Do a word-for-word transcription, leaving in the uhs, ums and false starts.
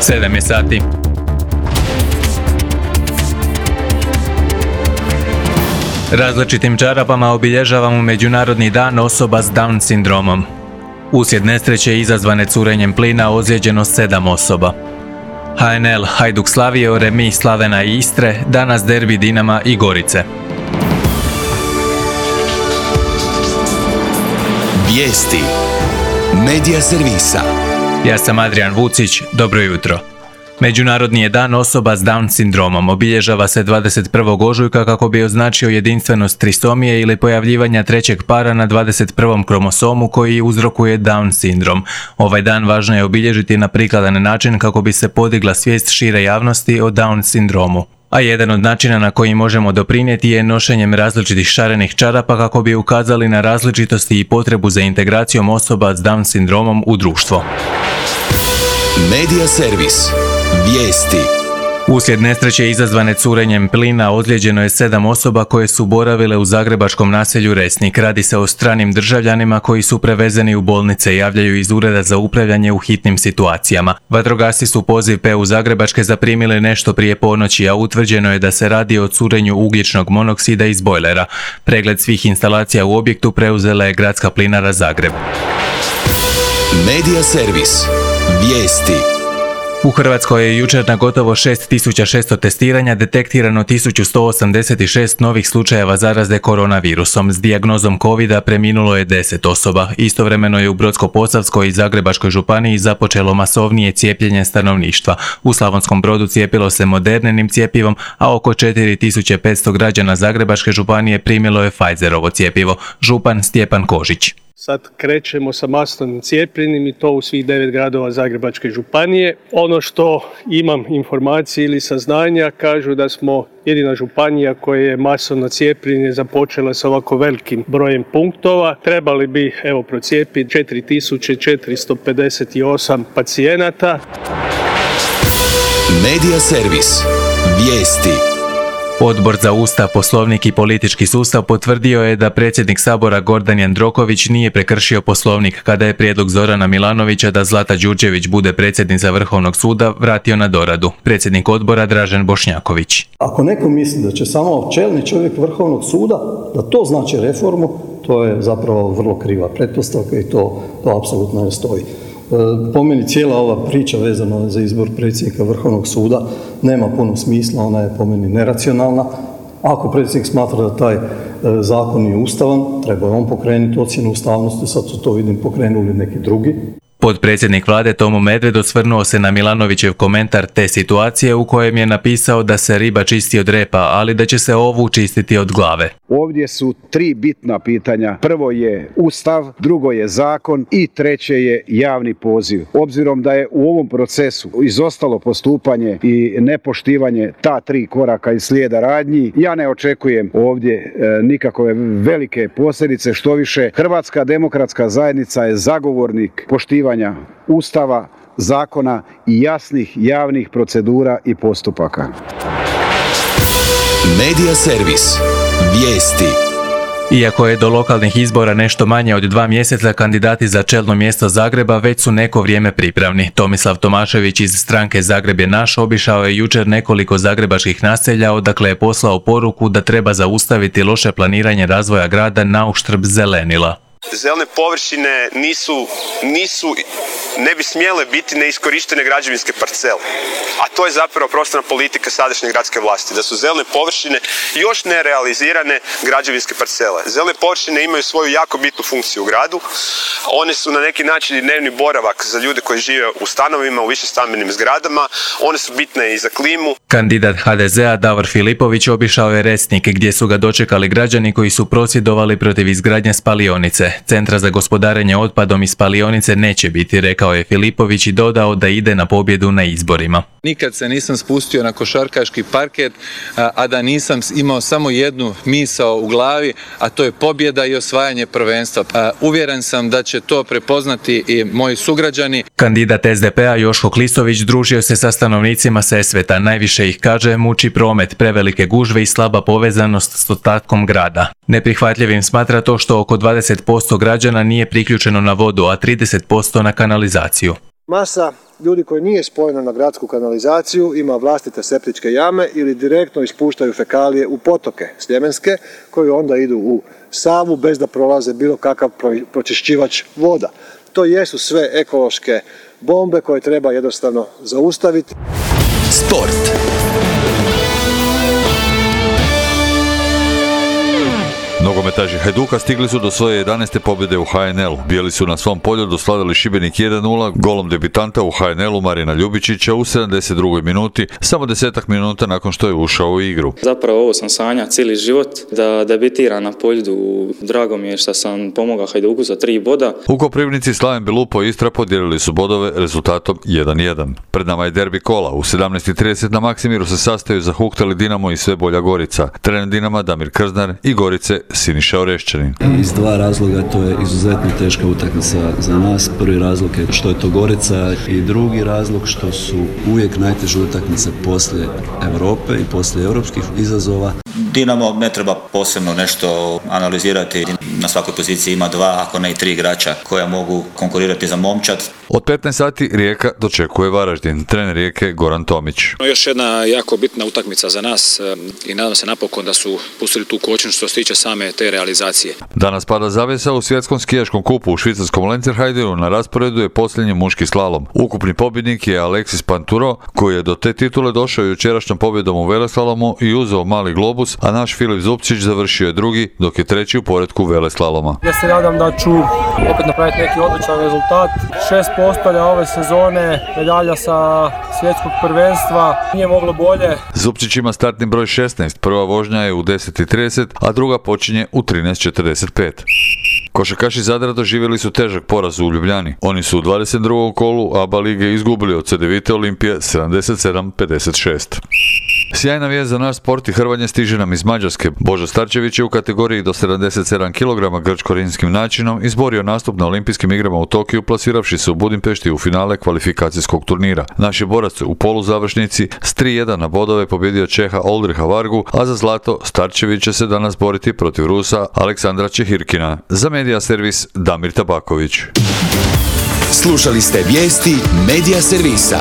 sedam je sati. Različitim čarapama obilježavamo Međunarodni dan osoba s Down sindromom. Uslijed nesreće izazvane curenjem plina ozlijeđeno sedam osoba. H N L Hajduk slavio remi Slavena i Istre, danas derbi Dinama i Gorice. Vijesti Medija servisa. Ja sam Adrian Vucić, dobro jutro. Međunarodni je dan osoba s Down sindromom. Obilježava se dvadeset prvog ožujka kako bi označio jedinstvenost trisomije ili pojavljivanja trećeg para na dvadeset prvom kromosomu koji uzrokuje Down sindrom. Ovaj dan važno je obilježiti na prikladan način kako bi se podigla svijest šire javnosti o Down sindromu. A jedan od načina na koji možemo doprinijeti je nošenjem različitih šarenih čarapa kako bi ukazali na različitosti i potrebu za integracijom osoba s Down sindromom u društvo. Medija servis. Vijesti. Uslijed nesreće izazvane curenjem plina ozlijeđeno je sedam osoba koje su boravile u zagrebačkom naselju Resnik. Radi se o stranim državljanima koji su prevezeni u bolnice, javljaju iz Ureda za upravljanje u hitnim situacijama. Vatrogasci su poziv P U Zagrebačke zaprimili nešto prije ponoći, a utvrđeno je da se radi o curenju ugljičnog monoksida iz bojlera. Pregled svih instalacija u objektu preuzela je Gradska plinara Zagreb. Medija servis. Vijesti. U Hrvatskoj je jučer na gotovo šest tisuća šesto testiranja detektirano tisuću sto osamdeset šest novih slučajeva zaraze koronavirusom. S dijagnozom covida preminulo je deset osoba. Istovremeno je u Brodsko-posavskoj i Zagrebačkoj županiji započelo masovnije cijepljenje stanovništva. U Slavonskom Brodu cijepilo se Moderninim cjepivom, a oko četiri tisuće petsto građana Zagrebačke županije primilo je Pfizerovo cjepivo. Župan Stjepan Kožić. Sad krećemo sa masovnim cijepljenjem i to u svih devet gradova Zagrebačke županije. Ono što imam informacije ili saznanja kažu da smo jedina županija koja je masovno cijepljenje započela sa ovako velikim brojem punktova. Trebali bi evo procijepiti četiri tisuće četiristo pedeset osam pacijenata. Medija servis. Vijesti. Odbor za Ustav, Poslovnik i politički sustav potvrdio je da predsjednik Sabora Gordan Jandroković nije prekršio Poslovnik kada je prijedlog Zorana Milanovića da Zlata Đurđević bude predsjednica Vrhovnog suda vratio na doradu. Predsjednik odbora Dražen Bošnjaković. Ako neko misli da će samo čelni čovjek Vrhovnog suda, da to znači reformu, to je zapravo vrlo kriva pretpostavka i to, to apsolutno ne stoji. Po meni cijela ova priča vezana za izbor predsjednika Vrhovnog suda nema puno smisla, ona je po meni neracionalna. Ako predsjednik smatra da taj zakon nije ustavan, treba je on pokrenuti ocjenu ustavnosti, sad su to vidim pokrenuli neki drugi. Potpredsjednik vlade Tomo Medved osvrnuo se na Milanovićev komentar te situacije u kojem je napisao da se riba čisti od repa, ali da će se ovu čistiti od glave. Ovdje su tri bitna pitanja. Prvo je Ustav, drugo je zakon i treće je javni poziv. Obzirom da je u ovom procesu izostalo postupanje i nepoštivanje ta tri koraka iz slijeda radnji, ja ne očekujem ovdje e, nikakve velike posljedice, što više Hrvatska demokratska zajednica je zagovornik poštivanja Ustava, zakona i jasnih javnih procedura i postupaka. Medija servis. Vijesti. Iako je do lokalnih izbora nešto manje od dva mjeseca, kandidati za čelno mjesto Zagreba već su neko vrijeme pripravni. Tomislav Tomašević iz stranke Zagreb je naš obišao je jučer nekoliko zagrebačkih naselja, odakle je poslao poruku da treba zaustaviti loše planiranje razvoja grada na uštrb zelenila. Zelene površine nisu, nisu, ne bi smjele biti neiskorištene građevinske parcele. A to je zapravo prostorna politika sadašnje gradske vlasti, da su zelene površine još nerealizirane građevinske parcele. Zelene površine imaju svoju jako bitnu funkciju u gradu. One su na neki način dnevni boravak za ljude koji žive u stanovima, u višestambenim zgradama. One su bitne i za klimu. Kandidat H D Z-a Davor Filipović obišao je Resnik, gdje su ga dočekali građani koji su prosvjedovali protiv izgradnje spalionice. Centra za gospodarenje otpadom iz spalionice neće biti, rekao je Filipović i dodao da ide na pobjedu na izborima. Nikad se nisam spustio na košarkaški parket, a da nisam imao samo jednu misao u glavi, a to je pobjeda i osvajanje prvenstva. Uvjeren sam da će to prepoznati i moji sugrađani. Kandidat S D P-a Joško Klisović družio se sa stanovnicima Sesveta. Najviše ih, kaže, muči promet, prevelike gužve i slaba povezanost s ostatkom grada. Neprihvatljivim smatra to što oko dvadeset posto građana nije priključeno na vodu, a trideset posto na kanalizaciju. Masa ljudi koji nije spojena na gradsku kanalizaciju ima vlastite septičke jame ili direktno ispuštaju fekalije u potoke sljemenske koji onda idu u Savu bez da prolaze bilo kakav pročišćivač voda. To jesu sve ekološke bombe koje treba jednostavno zaustaviti. Sport. Nogometaši Hajduka stigli su do svoje jedanaeste pobjede u ha en el-u. Bijeli su na svom polju slavili Šibenik jedan nula golom debitanta u ha en el-u Marina Ljubičića u sedamdeset drugoj minuti, samo desetak minuta nakon što je ušao u igru. Zapravo ovo sam sanjao cijeli život, da debitiram na polju. Drago mi je što sam pomogao Hajduku za tri boda. U Koprivnici Slaven Belupo i Istra podijelili su bodove rezultatom jedan jedan. Pred nama je derbi kola. U sedamnaest i trideset na Maksimiru se sastaju zahuktali Dinamo i Sve bolja Gorica. Trener Dinama Damir Krznar i Gorice Siniša Orešćanin. Iz dva razloga to je izuzetno teška utakmica za nas. Prvi razlog je što je to Gorica i drugi razlog što su uvijek najteže utakmice poslije Europe i poslije europskih izazova. Dinamo ne treba posebno nešto analizirati. Na svakoj poziciji ima dva, ako ne i tri igrača koja mogu konkurirati za momčad. Od petnaest sati Rijeka dočekuje Varaždin. Trener Rijeke Goran Tomić. Još jedna jako bitna utakmica za nas i nadam se napokon da su pustili tu kočnicu što se tiče same te realizacije. Danas pada zavjesa u svjetskom skijaškom kupu u švicarskom Lenzerheidenu. Na rasporedu je posljednji muški slalom. Ukupni pobjednik je Alexis Panturo, koji je do te titule došao jučerašnjom pobjedom u veleslalomu i uzeo mali globus, a naš Filip Zupčić završio je drugi, dok je treći u poretku veleslaloma. Ja se nadam da ću opet napraviti neki odličan rezultat. Šest postolja ove sezone, medalja sa svjetskog prvenstva, nije moglo bolje. Zupčić ima startni broj šesnaest, prva vožnja je u deset i trideset, a druga počinje u trinaest četrdeset pet. Košarkaši Zadra doživjeli su težak poraz u Ljubljani. Oni su u dvadeset drugom kolu A B A lige izgubili od Cedevite Olimpije sedamdeset sedam pedeset šest. Sjajna vijest za naš sport i hrvanje stiže nam iz Mađarske. Božo Starčević je u kategoriji do sedamdeset sedam kilograma grčko-rimskim načinom izborio nastup na olimpijskim igrama u Tokiju, plasiravši se u Budimpešti u finale kvalifikacijskog turnira. Naš je borac u poluzavršnici s tri jedan na bodove pobjedio Čeha Oldriha Vargu, a za zlato Starčević će se danas boriti protiv Rusa Aleksandra Čehirkina. Za Medija servis Damir Tabaković. Slušali ste vijesti Medija servisa.